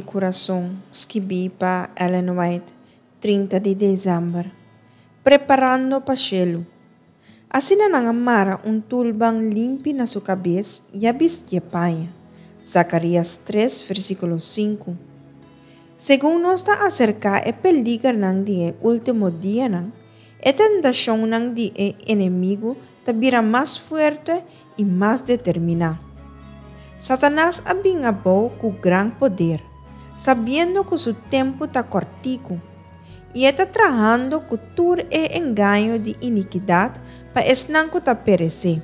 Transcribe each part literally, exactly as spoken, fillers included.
Kurason, skibí pa Ellen White, trinta di desèmber. Preparando pa shelu. Asina nan a mara un tulban limpi na su kabes i a bistié paña. Zakarias tres, versíkulo sinku. Segun nos ta aserká e peligernan di e último dianan, e tentashonnan di e enemigu ta bira mas fuerte i mas determiná. Satanas a bin abou ku gran poder, sabiendo ku su tempu ta kòrtiku, i e ta trahando ku tur e engaño di inikidat pa esnan ku ta peresé.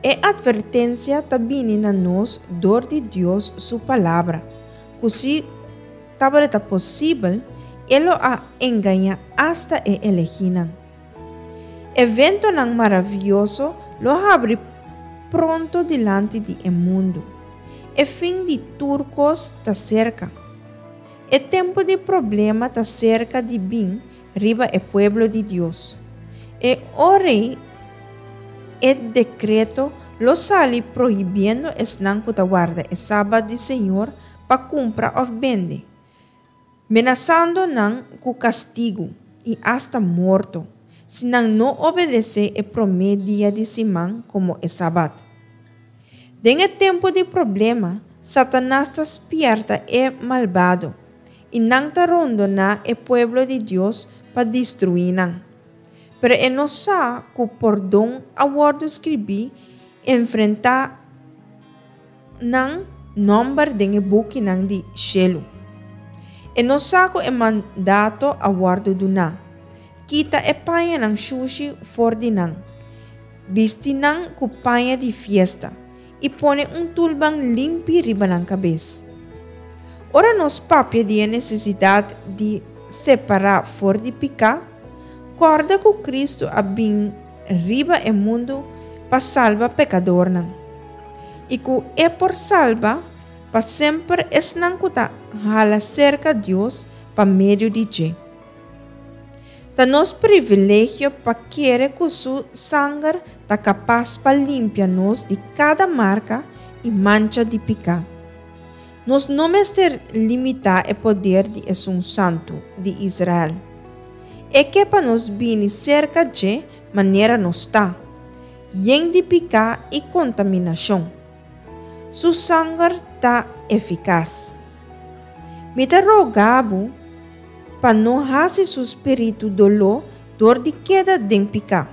E atvertensia ta bini na nos dor di Dios su Palabra, ku si tabata posibel, e lo a engañá asta e elegínan. Eventonan maravioso lo habri pronto dilanti di e mundu. E fin di tur kos ta serka. E tempu di problema ta serka di bin riba e pueblo di Dios. E ora ei e dekreto lo sali prohibiendo esnan ku ta warda e sabat di Señor pa kumpra òf bende, menasando nan ku kastigu i asta morto, si nan no obedesé e promé dia di siman komo e sabat. Den e tempu di problema, Satanas ta spièrta e malbado, i nan ta rondoná e pueblo di Dios pa destruí nan. Pero e no sa ku pordon a wòrdu skribí enfrentá nan nòmber den e bukinan di shelu. E no sa ku e mandato a wòrdu duná, Kita e pañanan shushi for di nan, bisti nan ku paña di fiesta, i pone un tulban limpi riba nan kabes. Ora nos papia di e nesesidat di separá for di piká, kòrda ku Kristu a bin riba e mundu pa salba pekadornan, i ku e por salba pa semper esnan ku ta hala serka Dios pa medio di dje. Ta nos privilegio pa kere ku su sanger ta kapas pa limpia nos di kada marka i mancha di piká. Nos no mester limitá e poder di Esun Santu di Israel. E ke pa nos bini serka dje manera nos ta, yen di piká i kontaminashon. Su sanger ta efikas. Mi ta roga bo pa no hasi su spiritu doló dor di keda den piká.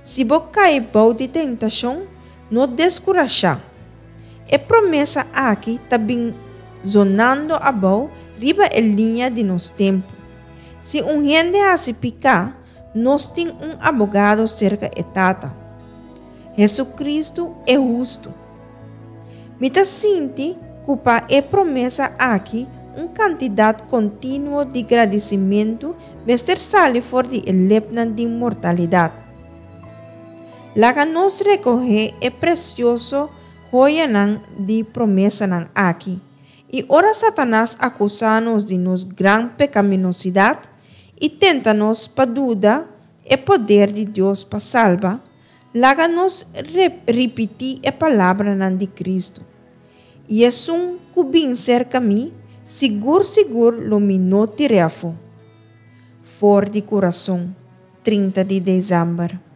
Si bo kai bou di tentashon, no deskurashá. E promesa aki ta bin zonando abou riba e liña di nos tempu. Si un hende hasi piká, nos tin un abogado serka e Tata, Hesukristu e hustu. Mi ta sinti ku pa e promesa aki un kantidat kontinuo di gradisimentu mester sali for di e lepnan di mortalidat. Laga nos rekohé e presioso hoyanan di promesanan aki, i ora Satanas akusá nos di nos gran pekaminosidat i tenta nos pa duda e poder di Dios pa salba, laga nos ripití e palabranan di Kristu, I esun ku bin serka mi, sigur sigur lo mi no tir'é afó. For di Kurason, trinta di desèmber.